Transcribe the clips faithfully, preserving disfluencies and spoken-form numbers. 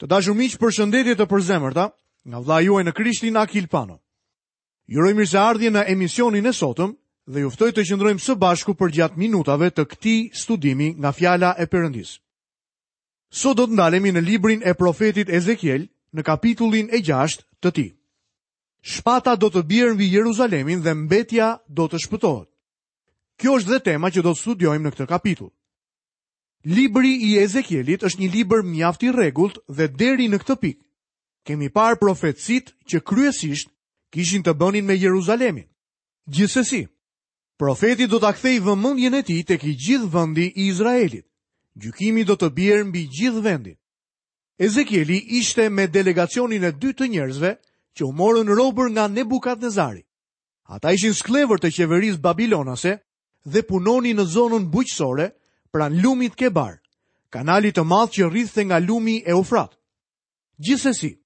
Të dashur miq, përshëndetje të përzemërta nga vëllai juaj në Krishtin Akil Pano. Ju uroj mirëseardhje në emisionin e sotëm dhe ju ftoj të qëndrojmë së bashku përgjatë minutave të këtij studimi nga fjala e Perëndisë. Sot do të ndalemi në librin e profetit Ezekiel në kapitullin e gjashtë të tij. Shpata do të bjerë mbi Jeruzalemin dhe mbetja do të shpëtohet. Kjo është dhe tema që do të studiojmë në këtë kapitull. Libri i Ezekielit është një libër mjaft i rregullt dhe deri në këtë pikë kemi parë profecitë që kryesisht kishin të bënin me Jeruzalemin. Gjithsesi, profeti do ta kthejë vëmendjen e tij tek i gjithë vendi i Izraelit. Gjykimi do të bjerë mbi gjithë vendin. Ezekieli ishte me delegacionin e dytë të njerëzve që u morën robër nga Nebukadnezari. Ata ishin skllevër të qeverisë babilonase dhe punonin në zonën bujqësore pranë lumit Kebar, kanalit të madh që rridhte nga lumi Eufrat. Gjithsesi,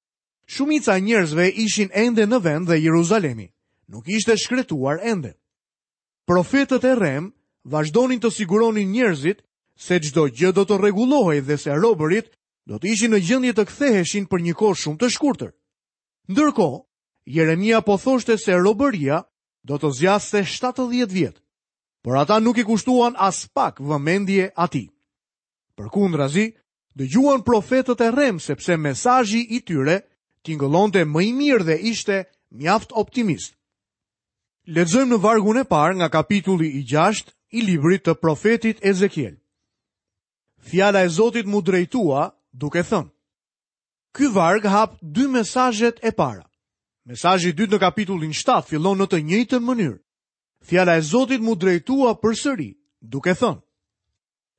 shumica e njerëzve ishin ende në vend dhe Jeruzalemi nuk ishte shkretuar ende. Profetët e rrem vazhdonin të siguronin njerëzit se çdo gjë do të rregullohej dhe se robërit do të ishin në gjendje të ktheheshin për një kohë shumë të shkurtër. Ndërkohë, Jeremia po thoshte se robëria do të zgjaste shtatëdhjetë vjet, por ata nuk i kushtuan as pak vëmendje atij. Përkundrazi, dëgjuan profetët e rrem sepse mesazhi i tyre tingëllonte më i mirë dhe ishte mjaft optimist. Lexojmë në vargun e parë nga kapitulli i gjashtë i librit të profetit Ezekiel. Fjala e Zotit mu drejtua duke thënë. Ky varg hap dy mesazhet e para. Mesazhi i dytë në kapitullin shtatë fillon në të njëjtën mënyrë. Fjala e Zotit mu drejtua përsëri, duke thënë: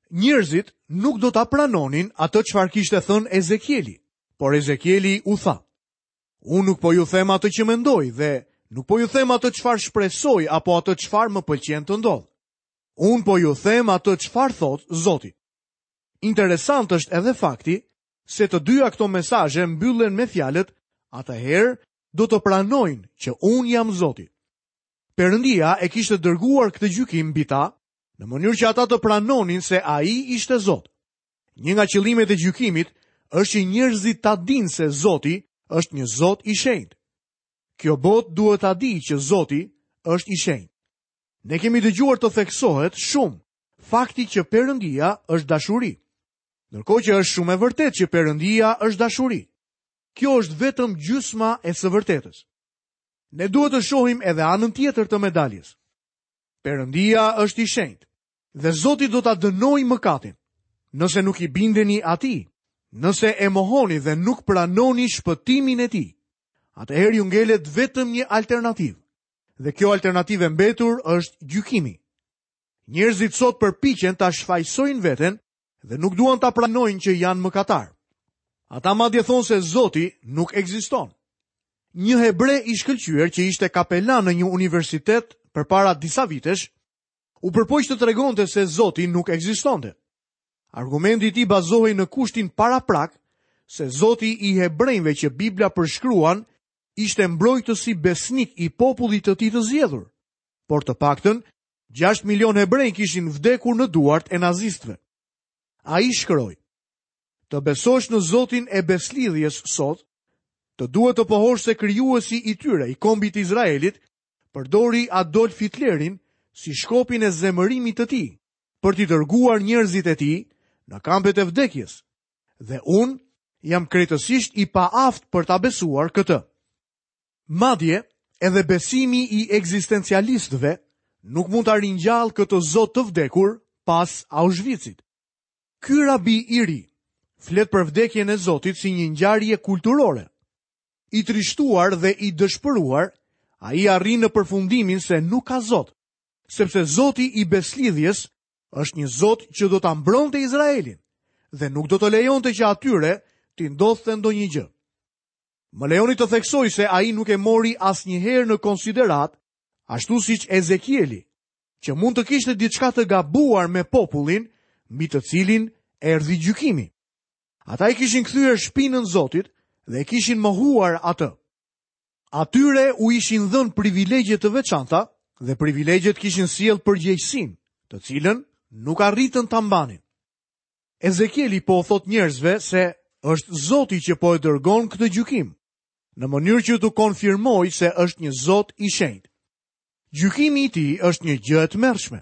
Njerëzit nuk do ta pranonin atë çfarë kishte thënë Ezekieli, por Ezekieli u tha: Unë nuk po ju them atë që mendoj dhe nuk po ju them atë çfarë shpresoj apo atë çfarë më pëlqen të ndodh. Unë po ju them atë çfarë thot Zoti. Interesant është edhe fakti se të dyja këto mesazhe mbyllen me fjalët: atëherë do të pranojnë që unë jam Zoti. Perëndia e kishte dërguar këtë gjykim mbi ta, në mënyrë që ata të pranonin se ai ishte Zot. Një nga qëllimet e gjykimit është që njerëzit ta dinë se Zoti është një Zot i shenjtë. Kjo botë duhet ta dijë që Zoti është i shenjtë. Ne kemi dëgjuar të theksohet shumë fakti që Perëndia është dashuri. Ndërkohë që është shumë e vërtetë që Perëndia është dashuri. Kjo është vetëm gjysma e së vërtetës. Ne duhet të shohim edhe anën tjetër të medaljes. Perëndia është i shenjtë dhe Zoti do ta dënojë mëkatin. Nëse nuk i bindeni atij, nëse e mohoni dhe nuk pranoni shpëtimin e tij, atëherë ju ngelet vetëm një alternativë. Dhe kjo alternativë e mbetur është gjykimi. Njerëzit sot përpiqen ta shfajsojnë veten dhe nuk duan ta pranojnë që janë mëkatar. Ata madje thonë se Zoti nuk ekziston. Një hebre i shkëlqyer që ishte kapelan në një universitet përpara disa vitesh, u përpoq të tregonte se Zoti nuk ekzistonte. Argumenti i tij bazohej në kushtin paraprak se Zoti i hebrejve që Bibla përshkruan ishte mbrojtësi besnik i popullit të tij të zgjedhur, por të paktën gjashtë milion hebrej kishin vdekur në duart e nazistëve. Ai shkroi: Të besosh në Zotin e beslidhjes sot, të duhet të pohosh se krijuesi i tyre, i kombit të Izraelit, përdori Adolf Hitlerin si shkopin e zemërimit të tij, për t'i dërguar njerëzit e tij në kampet e vdekjes. Dhe unë jam krejtësisht i paaftë për ta besuar këtë. Madje, edhe besimi i ekzistencialistëve nuk mund ta ringjallë këtë Zot të vdekur pas Auschwitzit. Ky rabi i ri flet për vdekjen e Zotit si një ngjarje kulturore. I trishtuar dhe i dëshpëruar, ai arrin në përfundimin se nuk ka Zot, sepse Zoti i beslidhjes është një Zot që do ta mbronte Izraelin dhe nuk do të lejonte që atyre t'i ndodhte ndonjë gjë. Më lejoni të theksoj se ai nuk e mori asnjëherë në konsiderat, ashtu siç Ezekieli, që mund të kishte diçka të gabuar me popullin mbi të cilin erdhi gjykimi. Ata i kishin kthyer shpinën Zotit dhe e kishin mohuar atë. Atyre u ishin dhënë privilegje të veçanta dhe privilegjet kishin sjellë përgjegjësinë, të cilën nuk arritën ta mbanin. Ezekieli po thot njerëzve se Është Zoti që po e dërgon këtë gjykim, në mënyrë që t'u konfirmojë se është një Zot i shenjtë. Gjykimi i tij është një gjë e tmerrshme.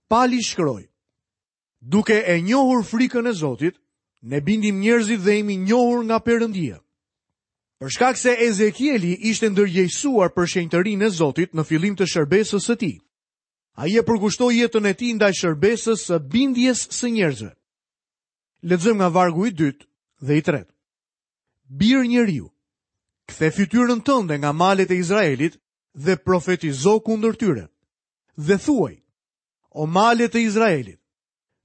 Pali shkroi: Duke e njohur frikën e Zotit, ne bindim njerëzit dhe jemi njohur nga Perëndia. Për shkak se Ezekieli ishte ndërgjegjësuar për shenjtërinë e Zotit në fillim të shërbesës së tij, ai e përkushtoi jetën e tij ndaj shërbesës së bindjes së njerëzve. Lexojmë nga vargu i dytë dhe i tretë. Bir njeriu, kthe fytyrën tënde nga malet e Izraelit dhe profetizo kundër tyre. Dhe thuaj: O malet e Izraelit,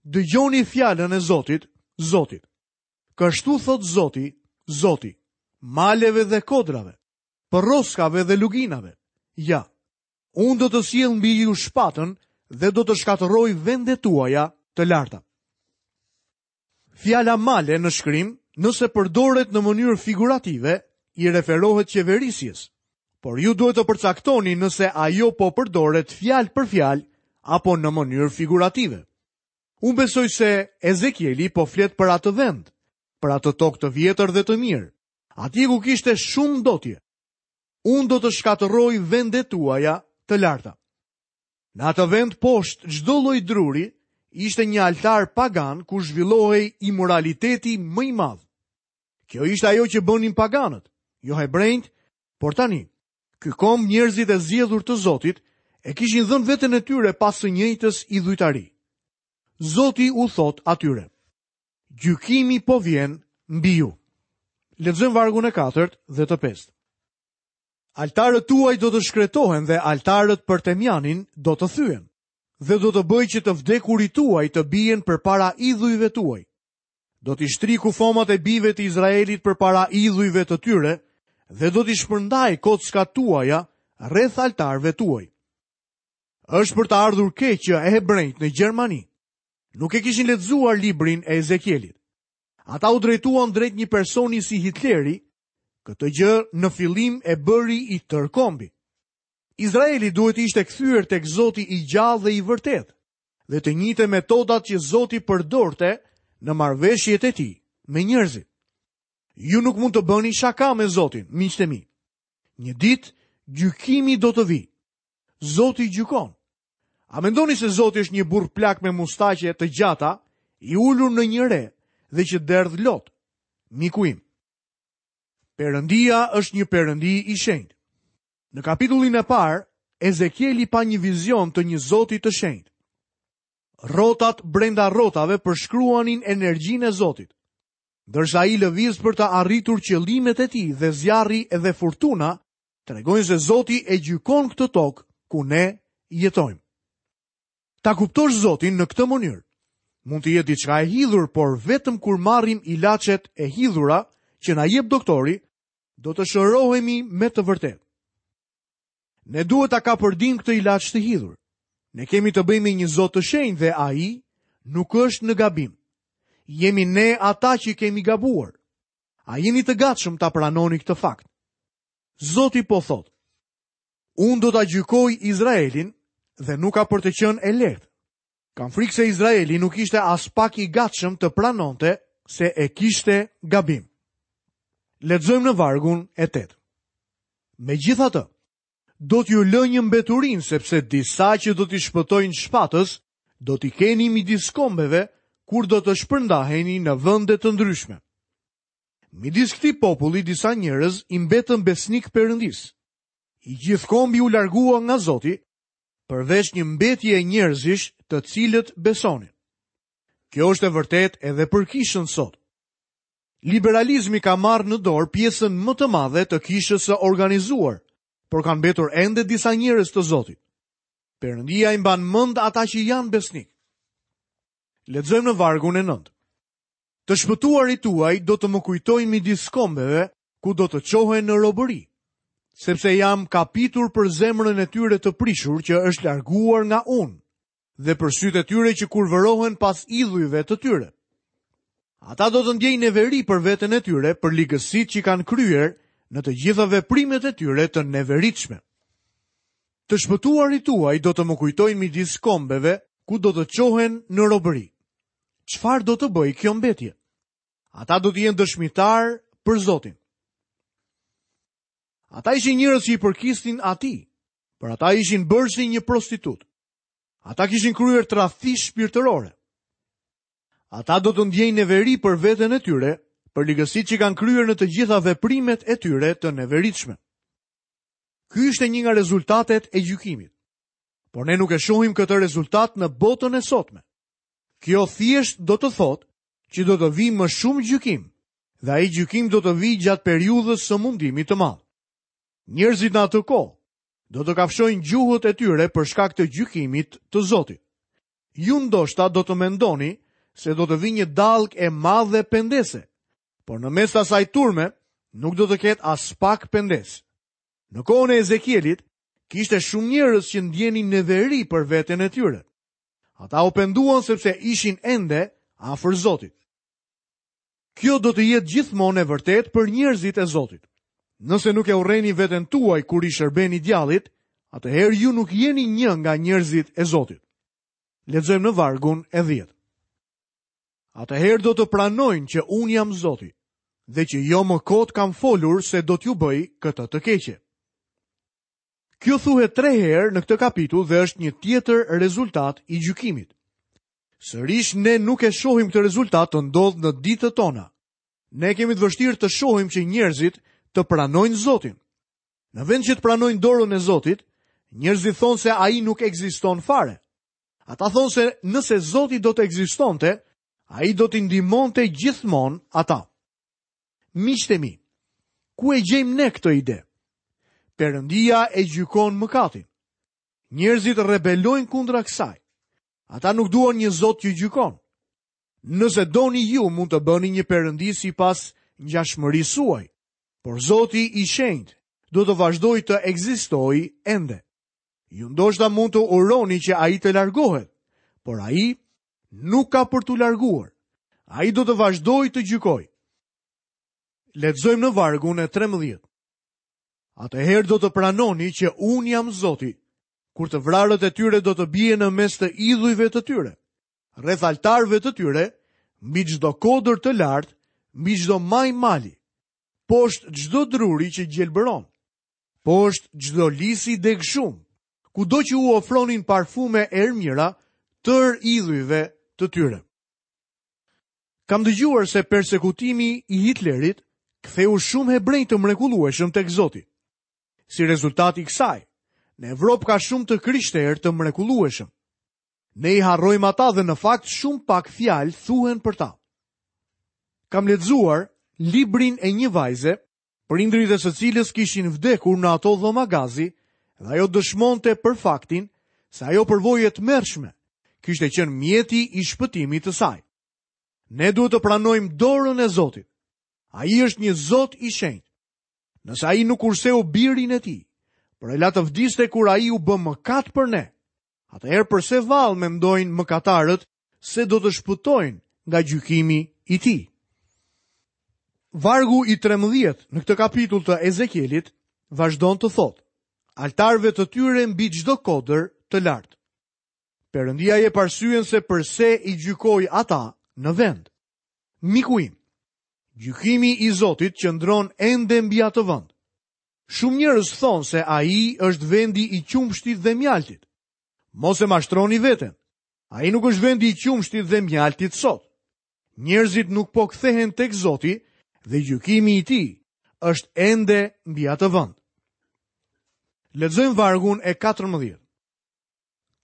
dëgjoni fjalën e Zotit, Zotit. Kështu thot Zoti, Zoti, maleve dhe kodrave, përroskave dhe luginave. Ja, unë do të sjell mbi ju shpatën dhe do të shkatërroj vendet tuaja të larta. Fjala male në shkrim, nëse përdoret në mënyrë figurative, i referohet qeverisjes, por ju duhet të përcaktoni nëse ajo po përdoret fjalë për fjalë apo në mënyrë figurative. Unë besoj se Ezekieli po flet për atë vend, për atë tokë të vjetër dhe të mirë, atje ku kishte shumë ndotje. Unë do të shkatërroj vendet tuaja të larta. Në atë vend poshtë çdo lloj druri ishte një altar pagan ku zhvillohej imoraliteti më i madh. Kjo ishte ajo që bënin paganët, jo hebrejt, por tani, ky komb njerëzit e zgjedhur të Zotit e kishin dhënë veten e tyre pas së njëjtës idhujtari. Zoti u thot atyre: Gjykimi po vjen mbi ju. Lexojmë vargun e katërt dhe të pestë. Altarët tuaj do të shkretohen dhe altarët për Temjanin do të thyhen, dhe do të bëj që të vdekurit tuaj të bien përpara idhujve tuaj. Do t'i shtri kufomat e bijve të Izraelit përpara idhujve të tyre dhe do t'i shpërndaj kockat tuaja rreth altarëve tuaj. Është për të ardhur keq që hebrejt në Gjermani nuk e kishin lexuar librin e Ezekielit. Ata u drejtuan drejt një personi si Hitleri. Këtë gjë në fillim e bëri i tërë kombi. Izraeli duhet ishte kthyer tek Zoti i gjallë dhe i vërtetë, dhe të njëjtë metodat që Zoti përdorte në marrëveshjet e tij me njerëzit. Ju nuk mund të bëni shaka me Zotin, miqtë e mi. Një ditë gjykimi do të vijë. Zoti gjykon. A mendoni se Zoti është një burr plak me mustaqe të gjata, i ulur në një re dhe që derdh lot? Miku im, Perëndia është një perëndi i shenjtë. Në kapitullin e parë, Ezekieli pa një vizion të një Zoti të shenjtë. Rrotat brenda rrotave përshkruanin energjinë e Zotit, ndërsa ai lëviz për të arritur qëllimet e tij dhe zjarri edhe furtuna tregojnë se Zoti e gjykon këtë tokë ku ne jetojmë. Ta kuptosh Zotin në këtë mënyrë mund të jetë diçka e hidhur, por vetëm kur marrim ilaçet e hidhura që na jep doktori, do të shërohemi me të vërtetë. Ne duhet ta kapërdim këtë ilaç të hidhur. Ne kemi të bëjmë me një Zot të shenjtë dhe ai nuk është në gabim. Jemi ne ata që kemi gabuar. A jeni të gatshëm ta pranoni këtë fakt? Zoti po thotë: Unë do ta gjykoj Izraelin dhe nuk ka për të qenë e lehtë. Kam frikë se Izraeli nuk ishte as pak i gatshëm të pranonte se e kishte gabim. Lexojmë në vargun e tetë. Megjithatë, do t'ju lë një mbeturin, sepse disa që do t'i shpëtojnë shpatës, do t'i keni midis kombeve, kur do të shpërndaheni në vende të ndryshme. Midis këtij populli disa njerëz i mbetën besnik Perëndis. I gjithë kombi u largua nga Zoti, përveç një mbetje e njerëzish të cilët besonin. Kjo është e vërtetë edhe për kishën sot. Liberalizmi ka marrë në dorë pjesën më të madhe të kishës së organizuar, por kanë mbetur ende disa njerëz të Zotit. Perëndia i mban mend ata që janë besnik. Lexojmë në vargun e nëntë. Të shpëtuarit tuaj do të më kujtojnë midis kombeve, ku do të çohen në robëri, sepse jam kapitur për zemrën e tyre të prishur që është larguar nga unë, dhe për sytë e tyre që kurvërohen pas idhujve të tyre. Ata do të ndjejnë neveri për veten e tyre, për ligësitë që kanë kryer në të gjitha veprimet e tyre të neveritshme. Të shpëtuarit tuaj do të më kujtojnë midis kombeve, ku do të çohen në robëri. Çfarë do të bëj kjo mbetje? Ata do të jenë dëshmitar për Zotin. Ata ishin njerëz që i përkisnin atij, por ata ishin bërë si një prostitut. Ata kishin kryer tradhti shpirtërore. Ata do të ndjejnë neveri për veten e tyre, për ligësitë që kanë kryer në të gjitha veprimet e tyre të neveritshme. Ky ishte një nga rezultatet e gjykimit. Por ne nuk e shohim këtë rezultat në botën e sotme. Kjo thjesht do të thotë që do të vijë më shumë gjykim, dhe ai gjykim do të vijë gjatë periudhës së mundimit të madh. Njerëzit në atë kohë do të kafshojnë gjuhët e tyre për shkak të gjykimit të Zotit. Ju ndoshta do të mendoni se do të vijë një dallgë e madhe pendese, por në mes të asaj turme nuk do të ketë as pak pendesë. Në kohën e Ezekielit, kishte shumë njerëz që ndjenin neveri për veten e tyre. Ata u penduan sepse ishin ende afër Zotit. Kjo do të jetë gjithmonë e vërtetë për njerëzit e Zotit. Nëse nuk e urreni veten tuaj kur i shërbeni djallit, atëherë ju nuk jeni një nga njerëzit e Zotit. Lexojmë në vargun e dhjetë. Atëherë do të pranojnë që unë jam Zoti dhe që jo më kot kam folur se do t'ju bëj këtë të keqe. Kjo thuhet tre herë në këtë kapitull dhe është një tjetër rezultat i gjykimit. Sërish ne nuk e shohim këtë rezultat të ndodhë në ditët tona. Ne kemi të vështirë të shohim që njerëzit të pranojnë Zotin. Në vend që të pranojnë dorën e Zotit, njerëzit thonë se ai nuk ekziston fare. Ata thonë se nëse Zoti do të ekzistonte, ai do t'i ndihmonte gjithmonë ata. Miqtë e mi, ku e gjejmë ne këtë ide? Perëndia e gjykon mëkatin. Njerëzit rebelojnë kundra kësaj. Ata nuk duan një Zot që gjykon. Nëse doni ju mund të bëni një perëndi sipas ngjashmërisë suaj, por Zoti i shenjtë do të vazhdojë të ekzistojë ende. Ju ndoshta mund të uroni që ai të largohet, por ai nuk ka për t'u larguar. Ai do të vazhdojë të gjykojë. Lexojmë në vargun e trembëdhjetë. Atëherë do të pranoni që unë jam Zoti, kur të vrarët e tyre do të bien në mes të idhujve të tyre, rreth altarëve të tyre, mbi çdo kodër të lartë, mbi çdo maj mali, poshtë çdo druri që gjelbëron, poshtë çdo lisi degshum, kudo që u ofronin parfume ermira, tër idhujve të tyre. Kam dëgjuar se persekutimi i Hitlerit ktheu shumë hebrenj të mrekullueshëm tek Zoti. Si rezultat i kësaj, në Evropë ka shumë të krishterë të mrekullueshëm. Ne i harrojmë ata dhe në fakt shumë pak fjalë thuhen për ta. Kam lexuar librin e një vajze, prindërit e së cilës kishin vdekur në ato dhoma gazi, dhe ajo dëshmonte për faktin se ajo përvojë e tmerrshme kishte qenë mjeti i shpëtimit të saj. Ne duhet të pranojmë dorën e Zotit. Ai është një Zot i shenjtë. Nëse ai nuk kurseu birin e tij, por e la të vdiste kur ai u bë mëkat për ne, atëherë përse vallë mendojnë mëkatarët se do të shpëtojnë nga gjykimi i tij? Vargu i trembëdhjetë në këtë kapitull të Ezekielit vazhdon të thotë: altarëve të tyre mbi çdo kodër të lartë. Perëndia jep arsyen se përse i gjykoi ata në vend. Miku im, gjykimi i Zotit qëndron ende mbi atë vend. Shumë njerëz thonë se ai është vendi i qumshtit dhe mjaltit. Mos e mashtroni veten. Ai nuk është vendi i qumshtit dhe mjaltit sot. Njerëzit nuk po kthehen tek Zoti dhe gjykimi i tij është ende mbi atë vend. Lexojmë vargun e katërmbëdhjetë.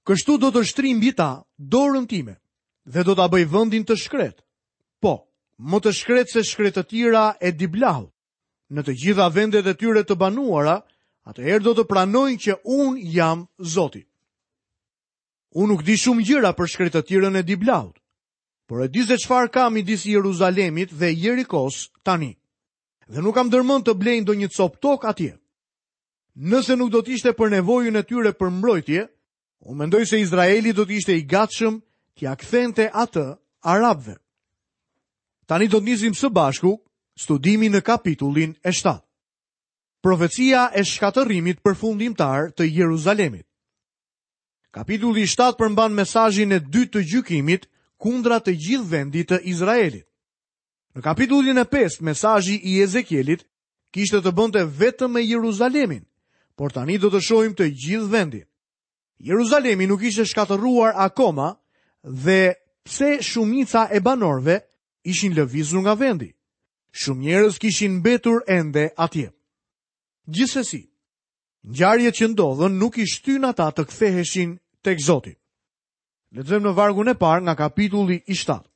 Kështu do të shtri mbi ta dorën time dhe do ta bëj vendin të shkret. Po, më të shkret se shkretëtira e Diblahut. Në të gjitha vendet e tyre të banuara, atëherë do të pranojnë që unë jam Zoti. Unë nuk di shumë gjëra për shkretëtirën e Diblahut, por e di se çfarë ka midis Jeruzalemit dhe Jerikos tani. Dhe nuk kam ndërmend të blej ndonjë copë tokë atje. Nëse nuk do të ishte për nevojën e tyre për mbrojtje, unë mendoj se Izraeli do të ishte i gatshëm t'ia kthente atë arabëve. Tani do të nisim së bashku studimin në kapitullin e shtatë. Profecia e shkatërrimit përfundimtar të Jeruzalemit. Kapitulli i shtatë përmban mesazhin e dytë të gjykimit kundra të gjithë vendit të Izraelit. Në kapitullin e pestë, mesazhi i Ezekielit kishte të bënte vetëm me Jeruzalemin, por tani do të shohim të gjithë vendin. Jeruzalemi nuk ishte shkatërruar akoma dhe pse shumica e banorëve ishin lëvizur nga vendi. Shumë njerëz kishin mbetur ende atje. Gjithsesi, ngjarjet që ndodhën nuk i shtyn ata të ktheheshin tek Zoti. Lexojmë në vargun e parë nga kapitulli i shtatë.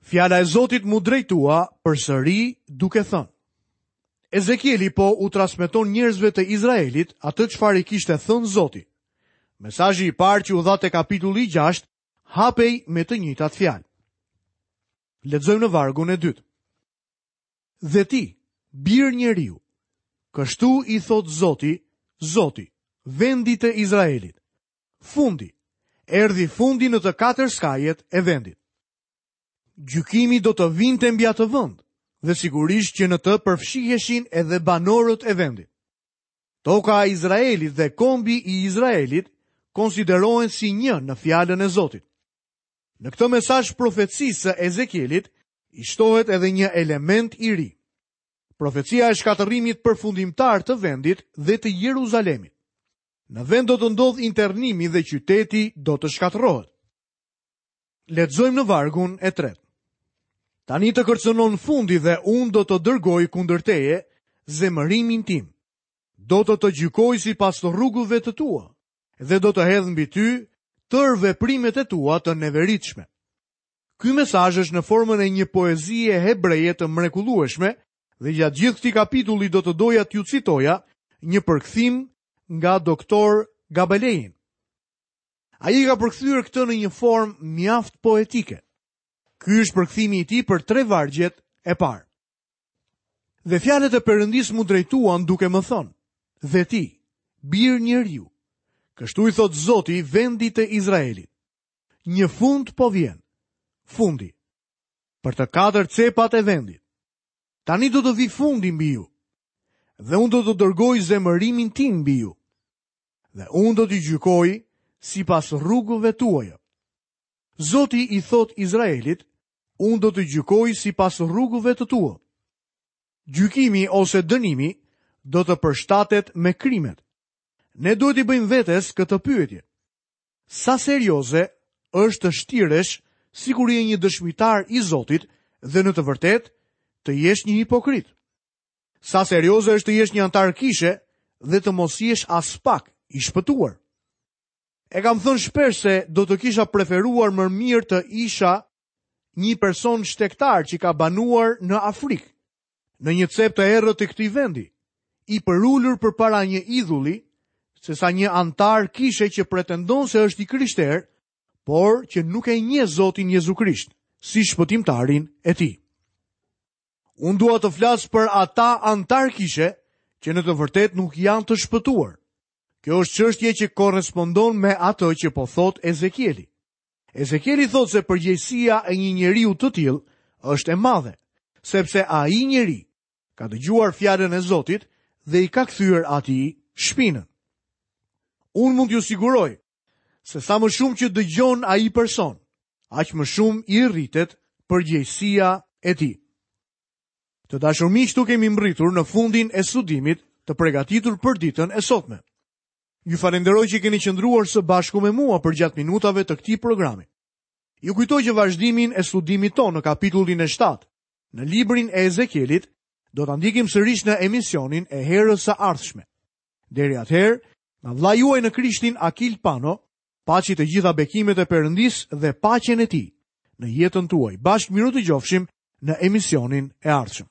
Fjala e Zotit mu drejtua përsëri duke thënë: Ezekieli po u transmeton njerëzve të Izraelit atë çfarë i kishte thënë Zoti. Mesazhi i parë që u dha te kapitulli i gjashtë hapej me të njëjtat fjalë. Lexojmë në vargun e dytë. Dhe ti, bir njeriu, kështu i thot Zoti, Zoti, vendit të Izraelit. Fundi, erdhi fundi në të katër skajet e vendit. Gjykimi do të vinte mbi atë vend, dhe sigurisht që në të përfshiheshin edhe banorët e vendit. Toka e Izraelit dhe kombi i Izraelit konsiderohen si një në fjalën e Zotit. Në këtë mesazh profecisë së Ezekielit i shtohet edhe një element i ri. Profecia e shkatërrimit përfundimtar të vendit dhe të Jeruzalemit. Në vend do të ndodhë internimi dhe qyteti do të shkatërrohet. Lexojmë në vargun e tretë. Tani të kërcënon fundi dhe unë do të dërgoj kundër teje zemërimin tim. Do të të gjykoj sipas rrugëve të tua dhe do të hedh mbi ty tërë veprimet e tua të neveritshme. Ky mesazh është në formën e një poezie hebreje të mrekullueshme dhe gjatë gjithë këtij kapitulli do të doja t'ju citoja një përkthim nga doktor Gabelein. Ai ka përkthyer këtë në një formë mjaft poetike. Ky është përkthimi i tij për tre vargjet e parë. Dhe fjalët e Perëndisë mu drejtuan duke më thënë: Dhe ti, bir njeriu, kështu i thot Zoti vendit të Izraelit. Një fund po vjen, fundi, për të katër cepat e vendit. Tani do të vi fundi mbi ju, dhe unë do të dërgoj zemërimin tim mbi ju, dhe unë do t'i gjykoj sipas rrugëve tuaja. Zoti i thot Izraelit, unë do të gjykoj sipas rrugëve të tua. Gjykimi ose dënimi do të përshtatet me krimet. Ne duhet i bëjmë vetes këtë pyetje. Sa serioze është të shtiresh sikur je një dëshmitar i Zotit dhe në të vërtetë të jesh një hipokrit? Sa serioze është të jesh një antar kishe dhe të mos jesh aspak i shpëtuar? E kam thënë shpesh se do të kisha preferuar më mirë të isha një person shtegtar që ka banuar në Afrikë, në një cep të errët të këtij vendi, i përulur përpara një idhulli, se sa një antar kishe që pretendon se është i krishterë, por që nuk e njeh Zotin Jezu Krisht si shpëtimtarin e tij. Unë dua të flas për ata antar kishe që në të vërtetë nuk janë të shpëtuar. Kjo është çështje që korrespondon me atë që po thot Ezekieli. Ezekieli thotë se përgjegjësia e një njeriu të tillë është e madhe, sepse ai njeri ka dëgjuar fjalën e Zotit dhe i ka kthyer atij shpinën. Unë mund t'ju siguroj se sa më shumë që dëgjon ai person, aq më shumë i rritet përgjegjësia e tij. Të dashur miq, këtu kemi mbërritur në fundin e studimit të përgatitur për ditën e sotme. Ju falenderoj që keni qëndruar së bashku me mua përgjatë minutave të këtij programi. Ju kujtoj që vazhdimin e studimit tonë në kapitullin e shtatë, në librin e Ezekielit, do ta ndjekim sërish në emisionin e herës së ardhshme. Deri atëherë, nga vëllai juaj në Krishtin Akil Pano, paçi të gjitha bekimet e Perëndisë dhe paqen e tij në jetën tuaj. Bashkë mirudëgjofshim në emisionin e ardhshëm.